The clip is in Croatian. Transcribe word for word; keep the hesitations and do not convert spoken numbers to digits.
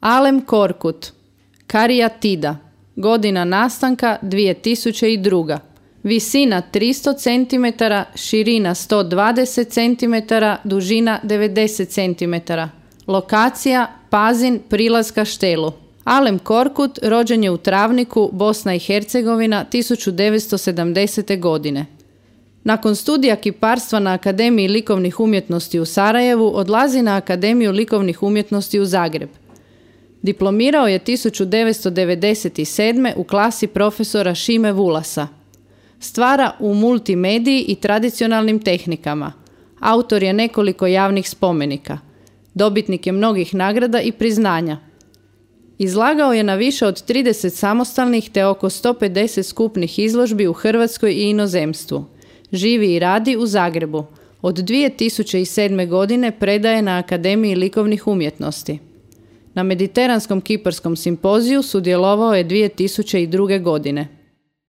Alem Korkut, karijatida, godina nastanka dvije tisuće druga. Visina tristo centimetara, širina sto dvadeset centimetara, dužina devedeset centimetara. Lokacija Pazin, prilaz Kaštelu. Alem Korkut rođen je u Travniku, Bosna i Hercegovina, tisuću devetsto sedamdesete. godine. Nakon studija kiparstva na Akademiji likovnih umjetnosti u Sarajevu odlazi na Akademiju likovnih umjetnosti u Zagreb. Diplomirao je tisuću devetsto devedeset sedme. u klasi profesora Šime Vulasa. Stvara u multimediji i tradicionalnim tehnikama. Autor je nekoliko javnih spomenika. Dobitnik je mnogih nagrada i priznanja. Izlagao je na više od trideset samostalnih te oko sto pedeset skupnih izložbi u Hrvatskoj i inozemstvu. Živi i radi u Zagrebu. Od dvije tisuće sedme. godine predaje na Akademiji likovnih umjetnosti. Na Mediteranskom kiparskom simpoziju sudjelovao je dvije tisuće druge. godine.